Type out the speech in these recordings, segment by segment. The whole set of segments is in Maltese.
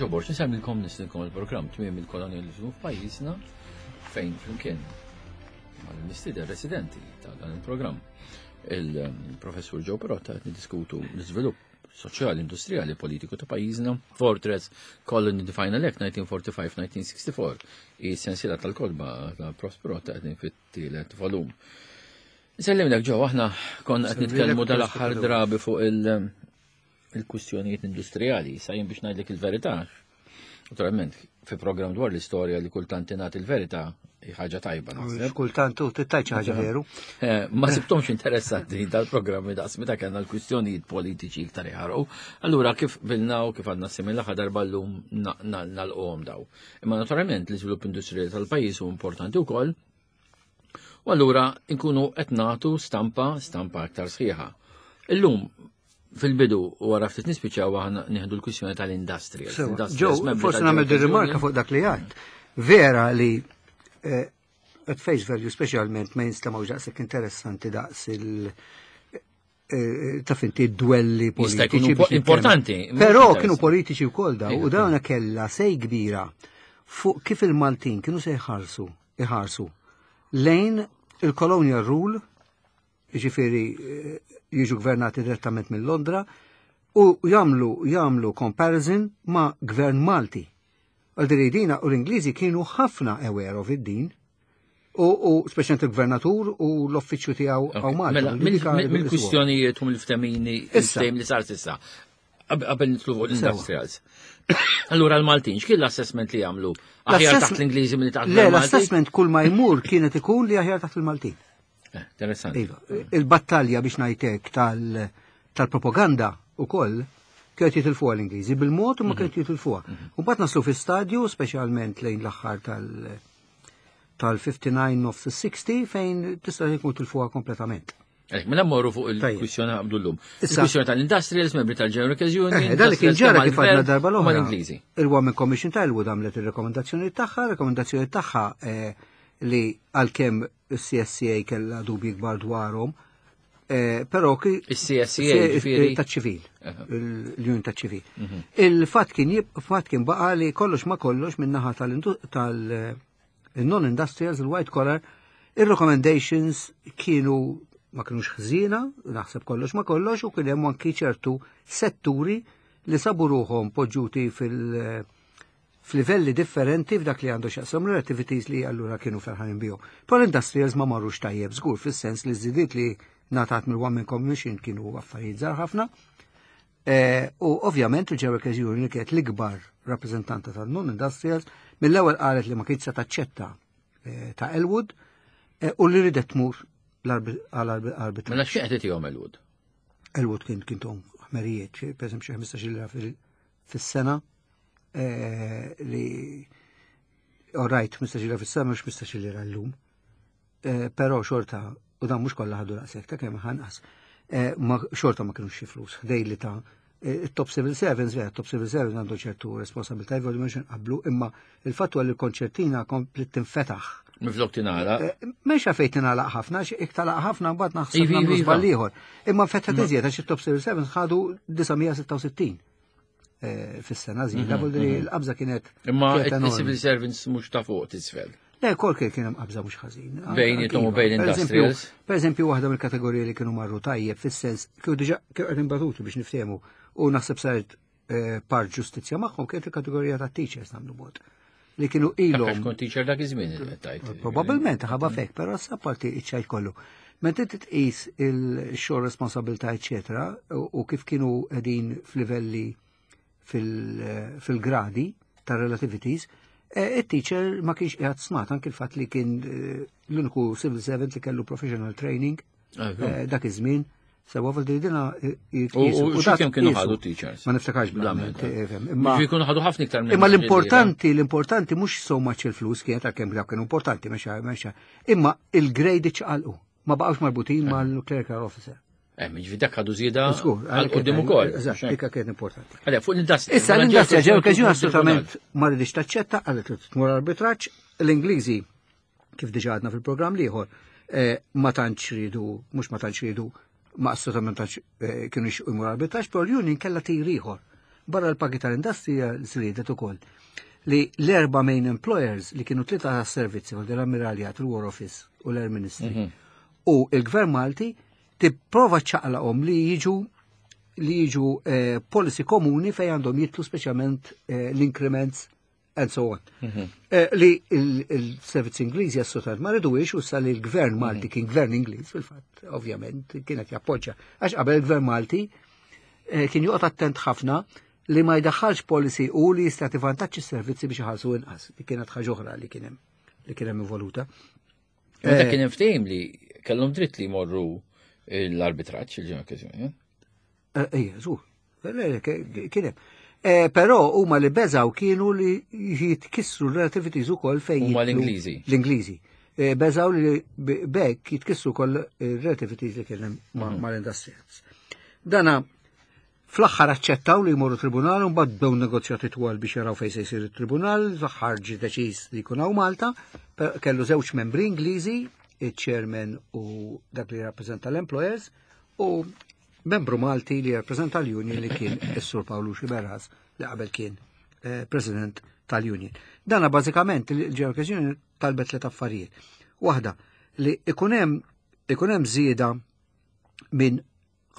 Professur Joe Borg, nsemmilkom nislilkom il-programm tmiem il-kolonializmu f'pajjiżna fejn flimkien mal-mistieden residenti ta' dan il-programm il-professur Joe Perotta qed niddiskutu l-iżvilupp soċjali, industrijali, politiku ta' pajjiżna. Fortress Colony the Final Act 1945-1964 i sensiela tal-kodba ta' Prof. Perotta qegħdin fit-tielet volum. Nsellimlek ġew aħna konna qed nitkellmu dal-aħħar drabi fuq il-kwistjonijiet industrijali, sa jien biex ngħidlek il-verità. Naturalment, fi programm dwar l-istorja li kultant ingħati il-verità hi ħaġa tajba naħseb. Kultant u tittajt xi ħaġa veru. Eh, ma sibtomx interessanti dal-programmi daqs meta kellna l-kwistjonijiet politiċi iktar jħarqu. Allura kif bilna u kif għadna simil l-aħħar darba llum nalquhom daw. Imma naturalment l-iżvilupp industrijali tal-pajjiż hu importanti wkoll. U allura nkunu qed nagħtu stampa stampa aktar sħiħa. Illum fil-bidu u wara ftit nispiċċaw aħna nieħdu l-kwistjoni tal-industrial. Ġew, forsi nagħmel din rimarka fuq dak li għadd. Vera li eh, at face value speċjalment ma jinstemgħu daqshekk interessanti daqs il- eh, taf inti duelli politiċi. Importanti. Però kienu politiċi wkoll daw u dawna kellha sej kbira fuq kif il-Maltin kienu se jħarsu, iħarsu lejn il-colonial rule jiġifieri eh, jiġu gvernati direttament minn Londra, u jagħmlu jagħmlu comparison ma' gvern Malti. Għal dina u l-Ingliżi kienu ħafna aware of id-din. U, u speċjalment il-gvernatur u l-uffiċċju tiegħu hawn Malta. Mela, mill-kwistjonijiet u mill-ftemini il-ftehim li sar s'issa. Qabel nitlu fuq l-industrials. Allura l-Maltin, x'kien l-assessment li jagħmlu? Aħjar taħt l-Ingliżi milli taħt Le, l-assessment kull ma jmur kienet ikun li aħjar taħt il-Maltin. Eh, interessanti. Iva, il-battalja biex ngħidlek tal-propaganda u koll kienet jitilfuha l-Ingliżi bil-mod u ma kienet jitilfuha. U mbagħad naslu fi stadju, speċjalment lejn l-aħħar tal-59 of the 60 fejn tista' jkun tilfuha kompletament. Eh, mela mmorru fuq il-kwistjoni għabdu l-lum. Il-kwistjoni tal-industrials, membri tal-General Workers Union. Eh, dan li kien ġara kif għadna darba l-oħra. Mal-Ingliżi. Il-Women Commission ta' Elwood għamlet il-rekomendazzjoni tagħha, rekomendazzjoni tagħha eh, li għalkemm il-CSCA kellha dubji kbar dwarhom, però ki Il-CSCA ġifieri. ta' ċivil, l-Union ta' ċivil. Il-fatt kien fatt kien baqa li kollox ma kollox min-naħa tal-non-industrials, il-white collar, il-recommendations kienu ma kienux ħżiena, naħseb kollox ma kollox, u kien hemm anki ċertu setturi li sabu ruħhom poġġuti fil- f'livelli differenti f'dak li għandu x'jaqsam l-activities li allura kienu ferħanin bihom. Però l-industrials ma marrux tajjeb żgur fis-sens li żidiet li ngħatat mill-One Man Commission kienu affarijiet żgħar ħafna. U ovvjament il-General Workers Union kienet l-ikbar rappreżentanta tal-non-industrials mill-ewwel qalet li ma kienx se taċċetta ta' Elwood u li ridet tmur għal-arbitraġġ. Mela x'qed itihom Elwood? Elwood kien kien tom ħmerijiet, per eżempju xi 15 lira fis-sena li all right, 15 lira fis-sena mhux 15 lira llum. Però xorta, u dan mhux kollha ħadu daqshekk ta' kemm ħanqas. Ma xorta ma kienux xi flus, ħdej li ta' top civil servants, vera, top civil servants għandu ċertu responsabilità, jgħidu mhux nqablu, imma il-fattu għal il-konċertina komplet tinfetaħ. Miflok tingħalaq. Mhux fejn tingħalaq ħafna, xi iktalaq ħafna mbagħad naħseb Ivi, nagħmlu iva. żball ieħor. Imma nfetħet iżjed għax it-top civil servants ħadu 966 fis-sena żieda, vuol dire l-qabża kienet Imma kienet enormi. il-civil servants mhux ta' fuq tisfel. Le, kol kien kien hemm qabża mhux ħażin. Bejnietom u Iva. bejn Per eżempju- industrials. Per eżempju, waħda mill-kategoriji li kienu marru tajjeb fis-sens kienu diġà kienu qegħdin batuti biex niftehmu u naħseb saret part ġustizzja magħhom kienet il-kategorija ta' teachers nagħmlu mod. Li kienu ilhom Għax kont teacher dak iż-żmien tajt. Probabilment ħaba fek, però sa parti iċ-ċajt kollu. Meta inti tqis il-xogħol responsabilità, eċetera, u kif kienu qegħdin f'livelli fil-gradi ta' relativities, il-teacher ma kienx qiegħed smat anki il-fatt li kien l-uniku civil servant li kellu professional training dak iż-żmien. Sewa vuol dire dina U u xi dak kemm kienu qisu. ħadu teachers? Ma niftakarx Bl-amment, bl-amment, fhem. Imma Ġifieri kienu ħadu ħafna iktar minn Imma dik li l-importanti, l-importanti mhux so much il-flus kienet għalkemm dawk kienu importanti, mexa, mexa. Imma il-grade ċaqalqu, ma baqgħux marbutin mal-clerical officer. Ġifieri dak ħadu żieda Żgur, għal quddiem ukoll. Eżatt, dik kienet importanti. Għalhekk fuq l-industrija. Issa mela l-industrija ġew ġew okkażjoni tribunal. assolutament ma ridix taċċetta, qalet li tmur arbitraġġ, l-Ingliżi kif diġà għadna fil-programm l-ieħor, ma tantx ridu, mhux ma tantx ridu, ma assolutament tantx kienu jixtiequ jmur arbitraġġ, però l-union kellha tir ieħor. Barra l-pagi tal-industrija żriedet ukoll li l-erba' main employers li kienu tlieta tas-servizzi, l-Ammiraljat, il-War Office u l-Air Ministry, u il-Gvern Malti tipprova ċaqlaqhom li jiġu policy komuni fejn għandhom jitlu speċjalment l-increments and so on. Li il-servizzi Ingliżi assolutament ma ridux u sa li l-gvern Malti kien gvern Ingliż fil-fatt, ovvjament, kienet jappoġġa. Għax qabel il-gvern Malti kien joqgħod attent ħafna li ma jdaħħalx policy u li jista' vantaġġ is-servizzi biex iħallsu inqas. Li kienet ħaġa oħra li kien hemm involuta. Meta kien hemm ftehim li kellhom dritt li jmorru l-arbitraġġ il-ġimgħa okkażjoni. Ejja, żgur. Kien hemm. Però huma li beżaw kienu li jitkissru l-relativities ukoll fejn Huma l-Ingliżi. L-Ingliżi. Beżaw li bekk jitkissru wkoll relativities li kien hemm mal-industrials. Dana fl-aħħar aċċettaw li jmorru tribunal u mbagħad bdew negozjati twal biex jaraw fejn se jsir it-tribunal, fl-aħħar ġie deċiż li jkun hawn Malta, kellu żewġ membri Ingliżi, il-chairman u dak li rappreżenta l-employers, u membru Malti li rappreżenta l-union li kien is-Sur Pawlu Sciberras li qabel kien president tal-union. Dana bażikament il-General Union talbet tliet affarijiet. Waħda li ikun hemm żieda minn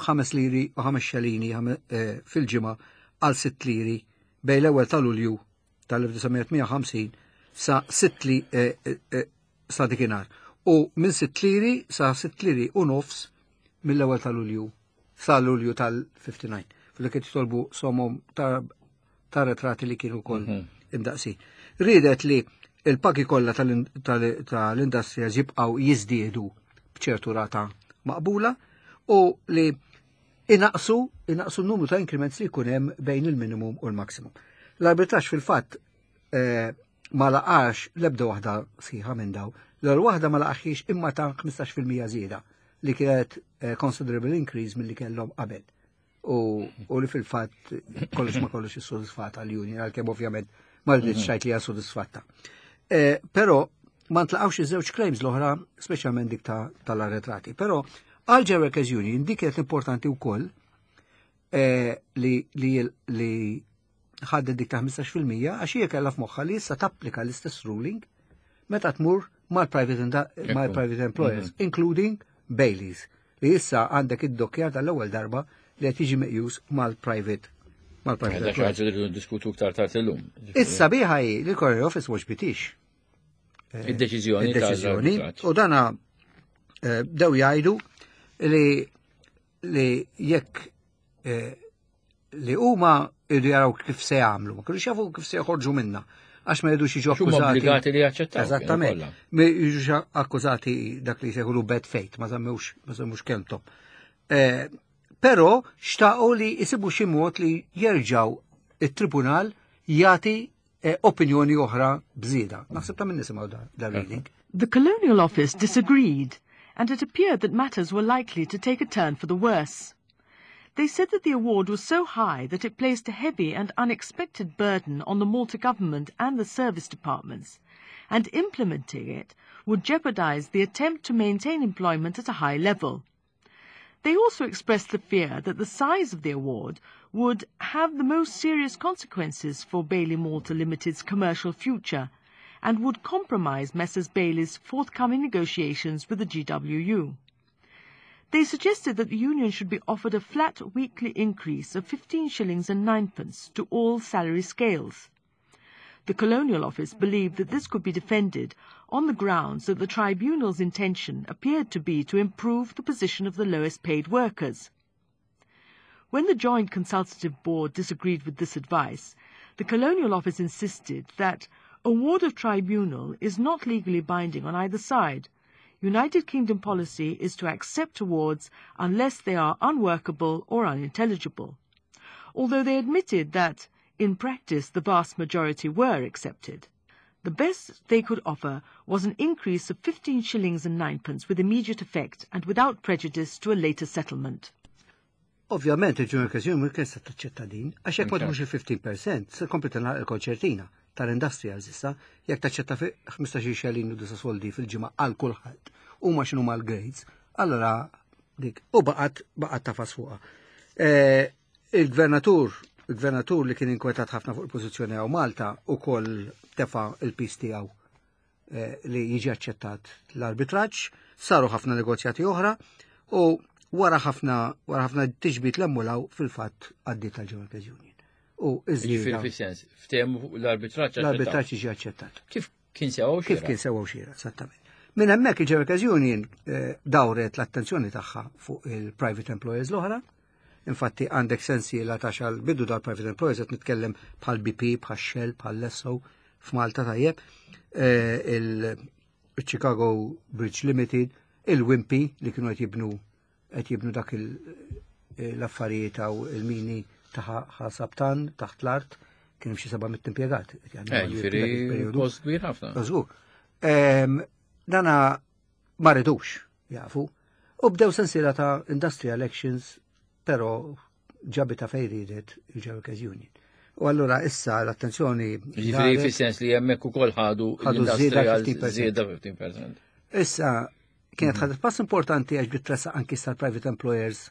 5 liri u 5 xelini fil-ġimgħa għal 6 liri bejn l-ewwel ta' Lulju tal-1958 sa 6 li sa dikinhar. U minn 6 liri sa 6 liri u nofs mill-ewwel ta' Lulju sa Lulju tal-59. Fil-li jitolbu somom ta' retrati li kienu kol imdaqsin. Ridet li il-pagi kollha tal-industrija jibqgħu jiżdiedu b'ċertu rata maqbula u li inaqsu n-numru ta' increments li jkun hemm bejn il-minimum u l-maximum. L-arbitraġġ fil-fatt ma laqax l-ebda waħda sħiħa minn daw. L-ewwel waħda ma laqaxiex imma ta' 15% żieda li kienet considerable increase milli kellhom qabel. U li fil-fatt kollox ma kollox issodisfata l-union, għalkemm ovvjament ma rridx xajt li hija sodisfatta. Però ma ntlaqgħux iż-żewġ claims l-oħra, speċjalment dik tal-arretrati. Però għal General Workers Union dik kienet importanti wkoll li ħadet dik ta' 15% għax hija kellha f'moħħha li issa tapplika l-istess ruling meta tmur mal-private employers, including Baileys, li issa għandek id-dokkjar tal-ewwel darba li qed jiġi meqjus mal-private Dak xi ħaġa li rridu ndiskutu iktar tard illum. Issa biħa hi li l-Colonial Office mhux bitix. Id-deċiżjoni Id-deċiżjoni. tal-arbitraġġ. U dana bdew jgħidu li jekk li huma jridu jaraw kif se jagħmlu, ma kinux jafu kif se joħorġu minna għax ma jridux jiġu Huma akkużati. obbligati li jaċċettaw. Eżattament. Kienu kollha. Ma jiġux akkużati dak li jsejħulu bad faith, ma żammewx kelmthom. Però xtaqu li jisibu xi mod li jerġgħu it-tribunal jagħti opinjoni oħra bżieda. Naħseb ta' minn nisimgħu da reading. The Colonial Office disagreed, and it appeared that matters were likely to take a turn for the worse. They said that the award was so high that it placed a heavy and unexpected burden on the Malta government and the service departments, and implementing it would jeopardize the attempt to maintain employment at a high level. They also expressed the fear that the size of the award would have the most serious consequences for Bailey Malta Limited's commercial future and would compromise Messrs. Bailey's forthcoming negotiations with the GWU. They suggested that the union should be offered a flat weekly increase of 15 shillings and ninepence to all salary scales. The Colonial Office believed that this could be defended on the grounds that the tribunal's intention appeared to be to improve the position of the lowest paid workers. When the Joint Consultative Board disagreed with this advice, the Colonial Office insisted that award of tribunal is not legally binding on either side. United Kingdom policy is to accept awards unless they are unworkable or unintelligible. Although they admitted that, in practice, the vast majority were accepted. The best they could offer was an increase of 15 shillings and ninepence with immediate effect and without prejudice to a later settlement. Ovvjament il-General Workers Union kien se taċċetta din, għax jekk ma tmux il-15% se tkompli tingħalaq il-konċertina tal-industrials issa, jekk taċċetta fi 15 xelin u 9 soldi fil-ġimgħa għal kulħadd huma x'inhu mal-grades, allora dik u baqgħet tafas fuqha. Il-gvernatur Il-gvernatur li kien inkwetat ħafna fuq il-pożizzjoni hawn Malta ukoll tefa' il-piż tiegħu eh, li jiġi aċċettat l-arbitraġġ, saru ħafna negozjati oħra u wara ħafna wara ħafna tiġbid l-emmulaw fil-fatt għaddiet tal-General Union. U iż-żieda. Fis-sens, ftehmu l-arbitraġġ. L-arbitraġġ jiġi aċċettat. Kif kien sewa u Kif kien sewa u xira, esattament. Minn hemmhekk il-General Union eh, dawret l-attenzjoni tagħha fuq il-private employers l-oħra. Infatti għandek sensiela ta' xal bidu dal-private employers qed nitkellem bħal BP, bħal Shell, bħal Lesso f'Malta tajjeb, eh, il-Chicago Bridge Limited, il-Wimpy li kienu qed jibnu qed jibnu dak eh, l-affarijiet għaw il-mini ta' ħasabtan taħt l-art kienu xi 700 impjegat. Eh, ġifieri post kbir ħafna. Żgur. Ehm, dana ma ridux jafu. U bdew sensiela ta' industrial actions, però ġabita fej ridet il-Workers Union. U allura issa l-attenzjoni. Ġifieri fis-sens li hemmhekk ukoll ħadu ħadu żieda 15%. 15%. Issa kienet ħadet pass importanti għax bdiet tressaq anki sal-private employers,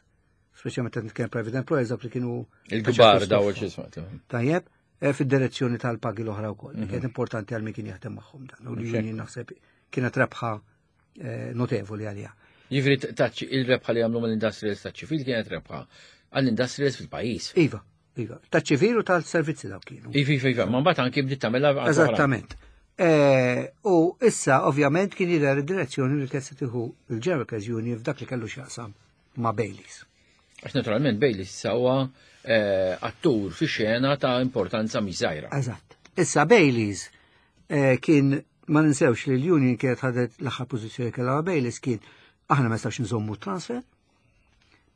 speċjalment qed nitkellem private employers dawk li kienu il-kbar daw x'isma. Tajjeb, eh, fid-direzzjoni tal-pagi l-oħra wkoll. Mhm. Kienet importanti għal min kien jaħdem magħhom dan. U l-union naħseb kienet rebħa eh, notevoli għalija. Jiġifieri taċ il-rebħa li għamlu mill-industrials taċ-ċivil kienet rebħa għall-industrials fil-pajjiż. Iva, iva. Taċ-ċivil u tal-servizzi dawk kienu. Iva, iva, iva. Ma mbagħad anki bdiet tagħmilha Eżattament. Eh, u issa ovvjament kien jidher id-direzzjoni li kienet se tieħu il-General Union f'dak li kellu x'jaqsam ma' Baileys. Għax naturalment Baileys huwa eh, attur fi xena ta' importanza mhix żgħira. Eżatt. Issa Baileys eh, kien ma ninsewx li l-Union kienet ħadet l-aħħar pożizzjoni kellha ma' Baileys kien aħna ma nistax nżommu transfer,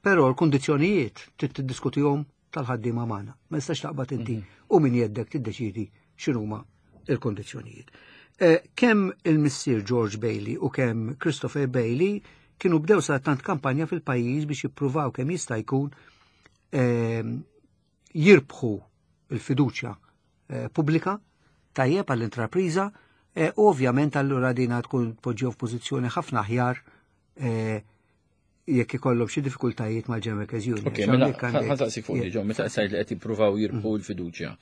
però l-kundizzjonijiet trid tiddiskutihom tal-ħaddiema magħna. Ma nistax taqbad inti mhm. u min jeddek tiddeċidi x'inhuma il-kondizzjonijiet. Eh, kemm il-missier George Bailey u kemm Christopher Bailey kienu bdew sa tant kampanja fil-pajjiż biex jippruvaw kemm jista' jkun ehm, jirbħu il-fiduċja eh, pubblika tajjeb għall-intrapriża eh, u ovvjament allura dina tkun tpoġġew f'pożizzjoni ħafna aħjar eh, jekk ikollhom xi diffikultajiet mal-General Union. Ok, mela ħansaqsik fuq diġà, meta qed li qed jippruvaw jirbħu mm. l-fiduċja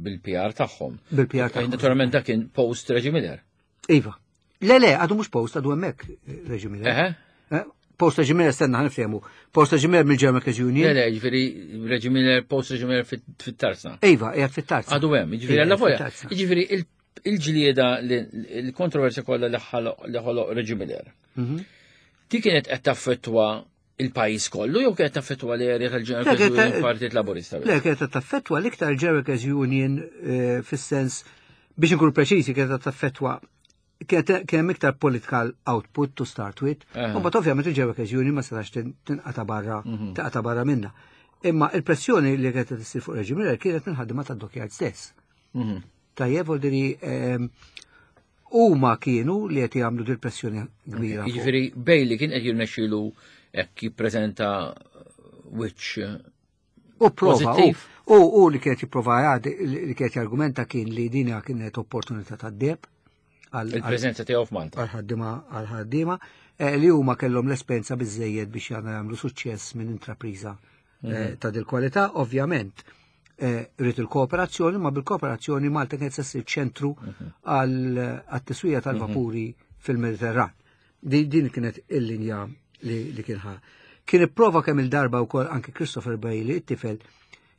bil-PR tagħhom. Bil-PR tagħhom. Naturalment dak kien post Reggie Miller. Iva. Le, le, għadu mhux post, għadu hemmhekk Reggie Miller. Post Reggie Miller stenna ħanifhemu. Post Reggie Miller mill-German Workers Union. Le, le, ġifieri Reggie Miller, post Reggie Miller fit-tarzna. Iva, qiegħed fit-tarzna. Għadu hemm, ġifieri alla volja. Ġifieri il-ġlieda il-kontroversja kollha li ħoloq Reggie Miller. Mhm. Di kienet qed taffettwa il-pajjiż kollu jew kienet taffettwa l-erja tal-General Union Partit Laburista? Le, kienet taffettwa l-iktar General Union eh, fis-sens biex inkunu preċiżi kienet taffettwa kien hemm iktar political output to start with, u mbagħad ovvjament il-General Union ma setax tinqata barra, mhm. tinqata barra minna. Imma il-pressjoni li kienet tissir fuq reġim kienet minn ħaddiema tad-dockyard stess. Mhm. Tajjeb, voldiri ehm, huma kienu li qed jagħmlu dil pressjoni kbira. Jiġifieri Bailey kien qed jirnexxielu hekk jippreżenta wiċċ U prova, u, u li kienet jipprova li kienet jargumenta kien li dinja kienet opportunità ta' deb. Il-preżenza tiegħu f'Malta. Għal-ħaddiema għal-ħaddiema eh, li huma kellhom l-esperjenza biżejjed biex jagħmlu suċċess minn intrapriża eh, mhm. ta' dil-kwalità, ovvjament. Eh, rrid il-kooperazzjoni, ma bil-kooperazzjoni Malta kienet se ssir ċentru mhm. għat-tiswija tal-vapuri mhm. fil-Mediterran. Din kienet il-linja li kien ħa. Kien ipprova kemm il-darba wkoll anke Christopher Bailey, it-tifel,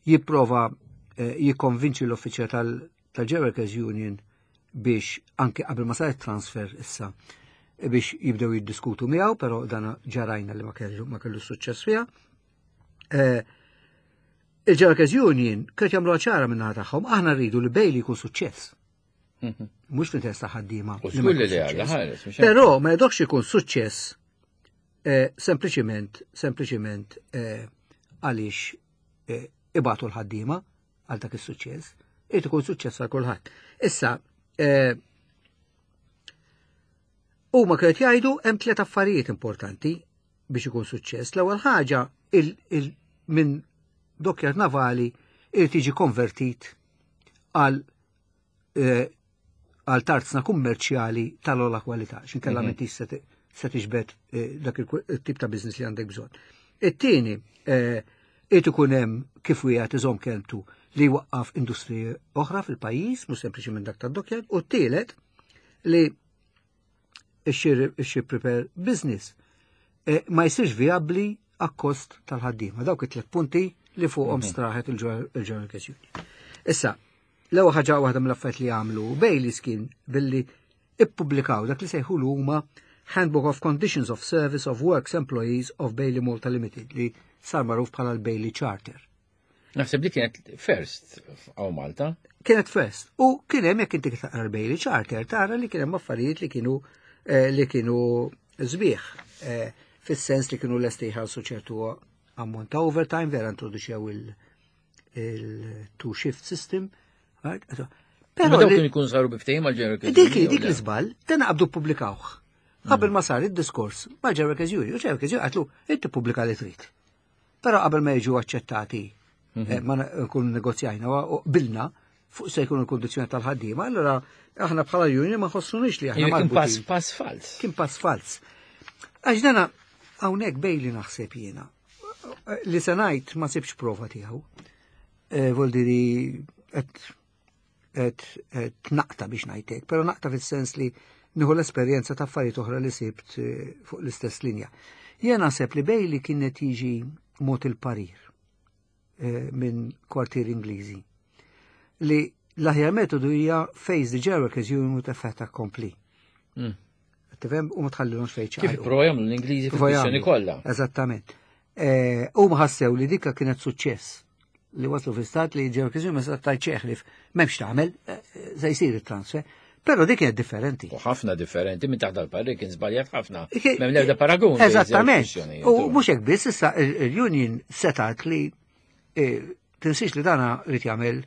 jipprova eh, jikkonvinċi l-uffiċjal tal-Workers Union biex anke qabel ma saret transfer issa biex jibdew jiddiskutu miegħu, però dan ġarajna li ma kellu ma kellu suċċess fiha. Eh, Il-Workers Union kienet jagħmlu ċara minn naħa tagħhom, aħna rridu li Bailey jkun suċċess. Mhm. Mhux fl-interess ta' ħaddiema. Però ma jridokx ikun suċċess eh, sempliċiment sempliċiment eh, għaliex eh, ibatu l-ħaddiema għal dak is-suċċess, irid ikun suċċess għal kulħadd. Issa, huma kienet jgħidu hemm tliet affarijiet importanti biex ikun suċċess. L-ewwel ħaġa minn dokkjat navali irid jiġi konvertit għal eh, għal tarzna kummerċjali tal-ola kwalità, x'inkella mm -hmm. se tiġbed eh, dak il-tip ta' business li għandek bżonn. It-tieni, eh, Irid ikun hemm kif wieħed iżomm kelmtu li jwaqqaf industriji oħra fil-pajjiż, mhux sempliċiment dak tad-dockyard, u t-tielet li x-ship repair business eh, ma jsirx vijabbli akkost tal-ħaddiema. Dawk it-tliet punti li fuqhom mhm. straħet il-General Cash Union. Issa, l-ewwel ħaġa waħda mill-affarijiet li għamlu Baileys kien billi ippubblikaw dak li sejħu huma Handbook of Conditions of Service of Works Employees of Bailey Malta Limited li sar magħruf bħala l-Bailey Charter. Naħseb li kienet first għaw Malta. Kienet first. U kien hemm jekk inti taqra l-Bailey Charter tara li kien hemm affarijiet li kienu eh, li kienu sbieħ eh, fis-sens li kienu lesti jħallsu ċertu ammont ta' overtime vera introduċew il-two shift system. Pero dawk kienu jkunu saru biftehim għal ġeneral Dik dik l-iżball, dan qabdu pubblikawh. Qabel ma sar id-diskors ma' Ġeneral Keżjuri, u Ġeneral Keżjuri qatlu inti pubblika li trid. Però qabel ma jiġu aċċettati, mhm. eh, ma nkun negozjajna u qbilna fuq se jkunu l-kondizzjoni tal-ħaddiema, allura aħna bħala union ma ħossunix li aħna Kien pass pass fals. Kien pass fals. Għax dana hawnhekk bejli naħseb jiena. Li se ngħid ma sibx prova tiegħu. Eh, Voldiri qed naqta biex ngħidlek, però naqta fis-sens li nieħu l-esperjenza ta' affarijiet oħra li sibt eh, fuq l-istess linja. Jien naħseb li Bailey kienet jiġi mod il-parir eh, minn kwartier Ingliżi li l-aħjar metodu hija face the Jerikers you with a fait accompli. Mm. Tifhem u ma tħallilhomx fejn Kif pro jagħmlu l-Ingliżi fil-kwistjoni kollha. Eżattament. Eh, u ma ħassew li dikka kienet suċċess li waslu fi stat li ġew kiżu ma stat ċeħlif m'hemmx tagħmel eh, se jsir it-transfer. Però dik kienet differenti. U ħafna differenti minn taħt dal-parri kien żbaljat ħafna. M'hemm l-ebda paragun. Eżattament. U mhux hekk biss issa il-union setat li eh, tinsiex li dana rid jagħmel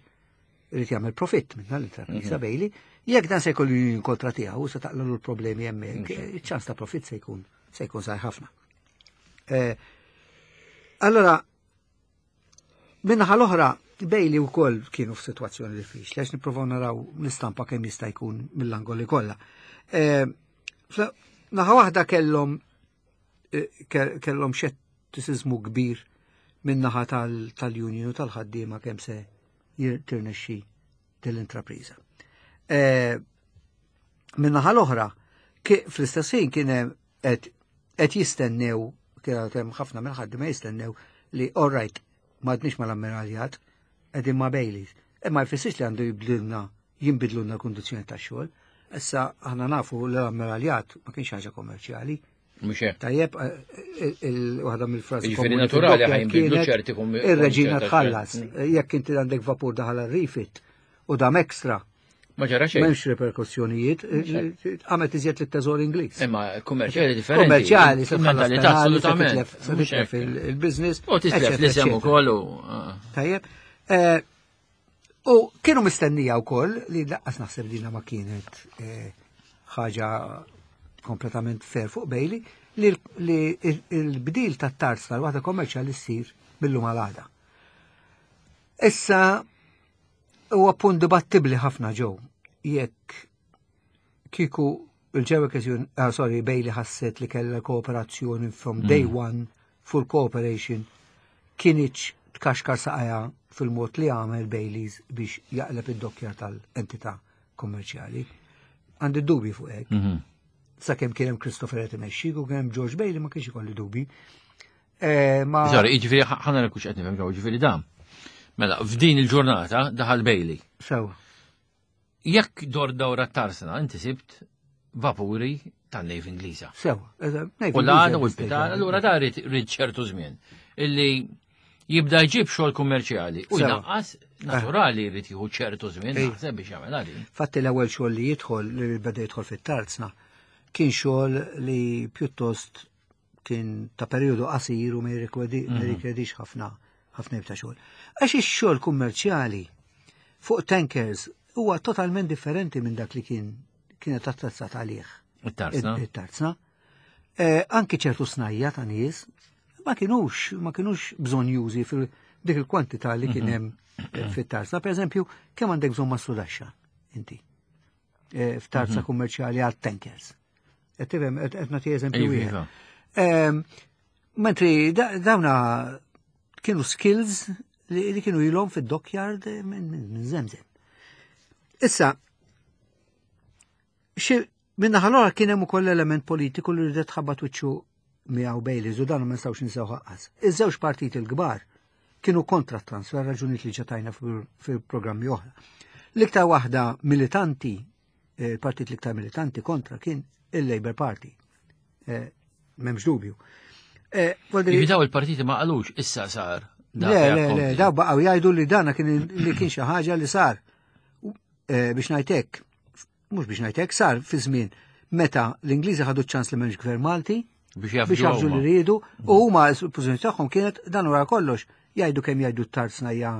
irid jagħmel profitt minn dan l-intrapriża mhm. Bailey, jekk dan se jkollu union kontra tiegħu se taqlalu l-problemi hemmhekk, iċ-ċans ta' profitt se jkun se jkun żgħir ħafna. Eh, allora, minnaħa l-oħra, Bailey wkoll kienu f'sitwazzjoni diffiċli, għax nippruvaw naraw l-istampa kemm jista' jkun mill-angoli kollha. Eh, naħa waħda kellhom eh, kellhom xettiċiżmu kbir min-naħa tal-union u tal-ħaddiema kemm se tirnexxi dell-intrapriża. Eh, min-naħa l-oħra, fl-istess ħin kien qed jistennew, kien hemm ħafna mill-ħaddiema jistennew li all right, m'għadniex mal-ammiraljat, qegħdin ma' Baileys. Imma jfissirx li għandu jibdilna jinbidlulna l-kundizzjoni tax-xogħol. Issa aħna nafu li l-ammiraljat ma kienx ħaġa kommerċjali. Mhux hekk. Tajjeb, eh, eh, waħda mill-frażi. Jiġifieri naturali ħajnbidlu ċerti Ir-reġina tħallas. Mm. Jekk inti għandek vapur daħal rifit u dam ekstra. Ma ġara xejn. M'hemmx reperkussjonijiet, eh, għamet iżjed lit-teżor Ingliż. Imma kummerċjali differenti. Kummerċjali, se tħallas assolutament. Se titlef il-business. U titlef l-isem ukoll u. Tajjeb. U kienu mistennija wkoll li laqqas naħseb dina ma kienet eh, ħaġa kompletament fair fuq Bailey li l-bdil tat-tarz tal-waħda kommerċjali ssir bil-lum għal Issa huwa punt dibattibbli ħafna ġew jekk kieku il-ġewek ah, sorry, Bailey ħasset li kellha kooperazzjoni from day mm. one full cooperation kinitx tkaxkar saqajha fil-mod li għamel Baileys biex jaqleb id-dokkjar tal-entità kommerċjali. Għandi dubi fuq hekk. Mhm. Sakemm kien hemm Christopher qed imexxi u kien hemm George Bailey ma kienx ikolli dubi. Eh, ma Sorry, jiġifieri ħana nekux qed nifhem ġew, jiġifieri dan. Mela, f'din il-ġurnata daħal Bailey. Sewa. Jekk dor dawra tarsna, inti sibt vapuri tan-Navy Ingliża. Sewa. U l-għada u l-pitan, allura da rrid ċertu żmien illi jibda jġib xogħol kummerċjali u jnaqqas naturali jrid jieħu ċertu żmien naħseb biex jagħmel għali. Fatti l-ewwel xogħol li jidħol li beda jidħol fit-tarzna kien xogħol li pjuttost kien ta' perjodu qasir u ma mhm. jirrikjedix ħafna ħafna ta' xogħol. Għax ix-xogħol kummerċjali fuq tankers huwa totalment differenti minn dak li kien kienet attrezzat għalih. It-tarzna. It-tarzna. Eh, anki ċertu snajja ta' nies ma kienux ma kienux bżonjużi fil dik il-kwantità li kien mhm. hemm eh, fit-tarzna. Per eżempju, kemm għandek bżonn mastrudaxxa inti eh, f'tarza mhm. kummerċjali għal tankers. Qed tifhem qed nagħti eżempju wieħed. Iva. Ehm, mentri dawna Kienu skills li kienu ilhom fid-dockyard minn żemżem. Issa, minna ħalora kien hemm ukoll element politiku li rridet ħabbat wiċċu miegħu Baileys u dan ma nistgħux ninsew ħaqqas. Iż-żewġ partiti l-kbar kienu kontra transfer raġunijiet li ġatajna fil-programmi oħra. L-iktar waħda militanti, eh, partit l-iktar militanti kontra kien il-Labour Party. Eh, m'hemmx dubju. Eh, Daw il-partiti ma qalux issa sar. Le, le, le, daw baqgħu jgħidu li dana kien li kien xi ħaġa li sar. Biex ngħidlek, mhux biex ngħidlek, sar fi żmien meta l-Ingliżi ħadu ċans li m'hemmx gvern Malti biex jafġu li rridu u huma l-pożizzjoni tagħhom kienet dan wara kollox jgħidu kemm jgħidu t-tarzna hija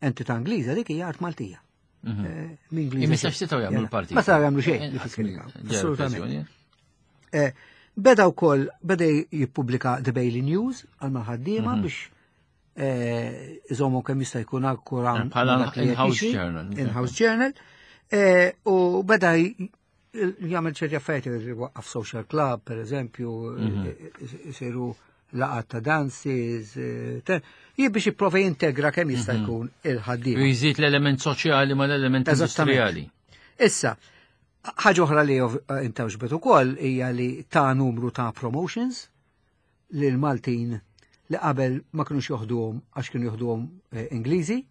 entità Ingliża dik hija art Maltija. Mhm. Eh, Imma setgħu jagħmlu l-partit. Ma setgħu jagħmlu xejn. Assolutament. Eh, beda wkoll beda jippubblika The Bailey News għal mal-ħaddiema mhm. biex eh, iżommu kemm jista' jkun akkura bħala in-house journal. In-house journal. U beda jagħmel ċerti affarijiet waqqaf social club, per eżempju, mhm. isiru laqat ta' dances, jien biex jipprova jintegra kemm jista' mhm. jkun il-ħaddiem. U jżid l-element soċjali ma l-element industrijali. Issa, ħaġa oħra li intawġbet ukoll hija li ta' numru ta' promotions lil Maltin li qabel ma kinux joħduhom għax kienu joħduhom eh, Ingliżi,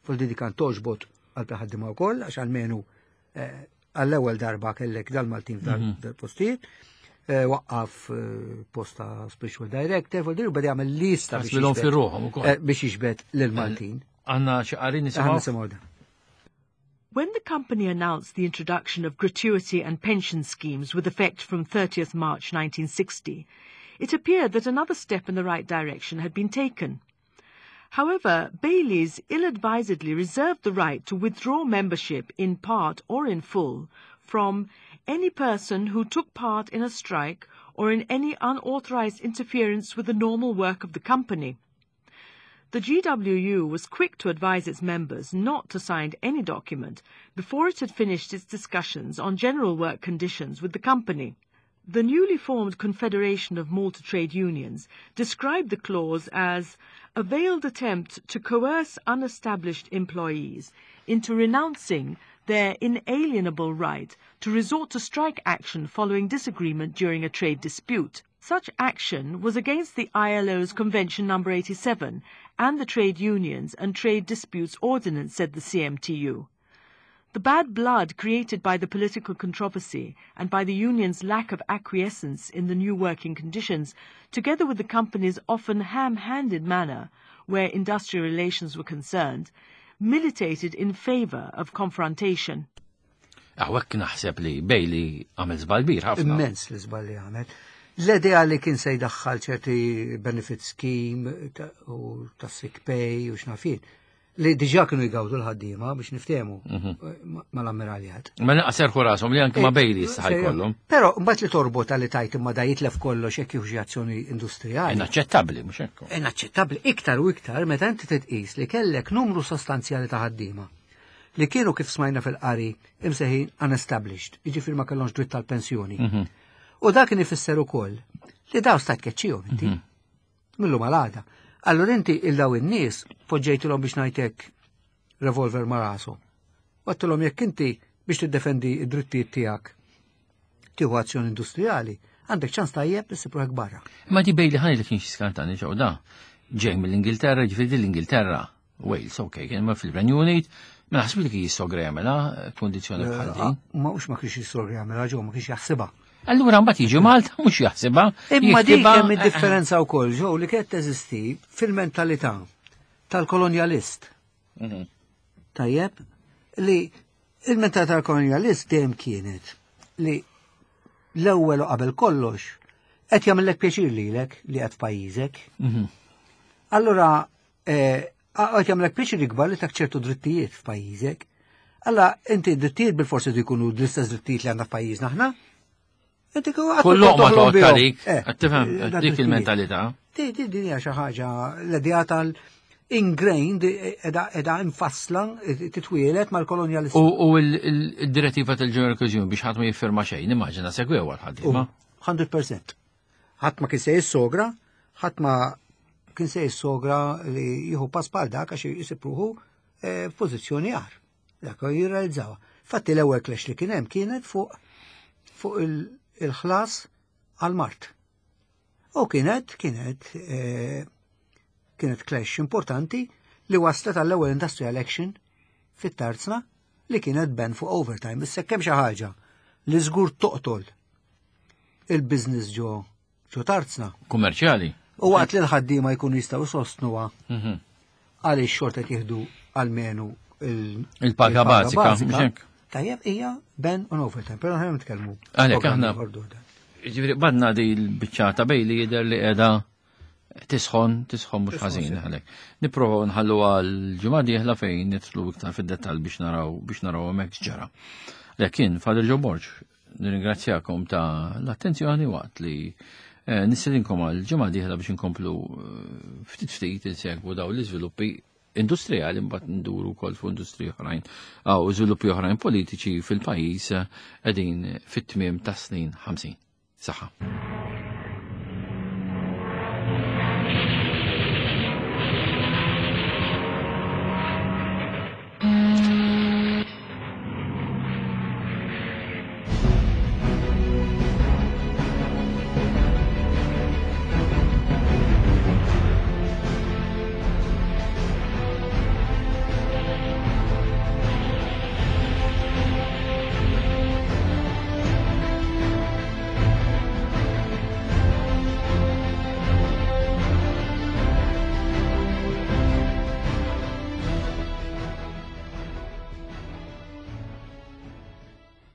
fuq di kan toġbot għal ħaddiema wkoll għax almenu eh, għall-ewwel darba kellek dal-Maltin mhm. f'dal-postijiet. Eh, waqqaf posta spiritual director, fuq di beda jagħmel lista biex jiġbed lil Maltin. Għandna xi qari nisimgħu. When the company announced the introduction of gratuity and pension schemes with effect from 30th March 1960, it appeared that another step in the right direction had been taken. However, Bailey's ill-advisedly reserved the right to withdraw membership in part or in full from any person who took part in a strike or in any unauthorized interference with the normal work of the company. The GWU was quick to advise its members not to sign any document before it had finished its discussions on general work conditions with the company. The newly formed Confederation of Malta Trade Unions described the clause as a veiled attempt to coerce unestablished employees into renouncing their inalienable right to resort to strike action following disagreement during a trade dispute. Such action was against the ILO's Convention No. 87 and the Trade Unions and Trade Disputes Ordinance, said the CMTU. The bad blood created by the political controversy and by the union's lack of acquiescence in the new working conditions, together with the company's often ham-handed manner where industrial relations were concerned, militated in favour of confrontation. Hawnhekk naħseb li Bailey għamel żball kbir ħafna. Immens li żball li għamel. L-idea li kien se jdaħħal ċerti benefit scheme u ta' sick pay u x'naf jien li diġà kienu jgawdu l-ħaddiema biex niftehmu mhm. mal-ammiraljat. Ma naqas serħu rashom li anke ma eh, Bailey issa jkollhom. Però mbagħad li torbota li tajt imma da jitlef kollox jekk jieħu azzjoni industrijali. Inaċċettabbli mhux hekk. Inaċċettabbli iktar u iktar meta inti titqis li kellek numru sostanzjali ta' ħaddiema li kienu kif smajna fil-qari imsejħin unestablished, jiġifieri ma kellhomx dritt tal-pensjoni. Mhm. U dak kien ifisser ukoll li daw stajt tkeċċihom inti. Mhm. Millu malada. Allura inti il daw in-nies poġġejtilhom biex ngħidlek revolver ma' rashom. Għedtilhom jekk inti biex tiddefendi id-drittijiet tiegħek tieħu azzjoni industrijali, għandek ċans tajjeb li ssib barra. Ma di Bailey ħani li kienx skantani ġew da. Ġej mill-Ingilterra, ġifieri l-Ingilterra, Wales, ok, kien ma fil-Renju Unit, ma naħseb li kien jissogra jagħmilha kondizzjoni bħal din. Ma hux ma kienx jissogra jagħmilha ġew ma kienx jaħsibha. Allura mbagħad jiġi Malta mhux jaħsibha. Imma dik hemm id-differenza wkoll ġew li kienet teżisti fil-mentalità tal-kolonjalist. Mhm. Tajjeb, li il-mentalità tal-kolonjalist dejjem kienet li l-ewwel u qabel kollox qed jagħmellek pjaċir lilek li qed f'pajjiżek. Mhm. Allura eh, qed jagħmlek pjaċir ikbar li tak ċertu drittijiet f'pajjiżek. Alla inti drittijiet bil-forsi jkunu l-istess drittijiet li għandna f'pajjiżna aħna. Inti Kull loqma toqgħod għalik, eh, qed tifhem dik il-mentalità. Di din hija xi ħaġa l-idea tal ingrained edha infassla titwielet mal-kolonjalisti. U il-direttiva tal-General Cohesion biex ħadd ma jiffirma xejn, immaġina segwew għal ħaddiema. 100%. Ħadd ma kien se jissogra, ħadd ma kien se jissogra li jieħu pass bħal dak għax isib ruħu eh, f'pożizzjoni agħar. Dak jirrealizzawha. Fatti l-ewwel clash li kien hemm kienet fuq fuq il-ħlas għal-mard. U kienet kienet eh, kienet clash importanti li waslet għall-ewwel industrial action fit-tarzna li kienet ban fuq overtime. Issa kemm xi ħaġa li żgur toqtol il-business ġo ġo tarzna. Kummerċjali. U waqt li l-ħaddiema jkunu jistgħu jsostnuha mhm. għaliex xorta jieħdu almenu il-paga bażika. Tajjeb hija ban on overtime, però ħajja nitkellmu. Għalhekk aħna Ġifieri badna di l-biċċa ta' bejli jidher li qiegħda tisħon, tisħon mhux ħażin għalhekk. Nipprovaw nħallu għal ġimgħa dieħla fejn nidħlu iktar fid-dettall biex naraw biex naraw hemmhekk ġara. Lekin Father Joe Borg, nirringrazzjakom ta' l-attenzjoni waqt li eh, nistedinkom għal ġimgħa dieħla biex inkomplu eh, ftit ftit insegwu daw l-iżviluppi industrijali mbagħad nduru wkoll fuq industriji oħrajn għaw żviluppi oħrajn politiċi fil-pajjiż eh, qegħdin fit-tmiem tas snin 50. Saħħa.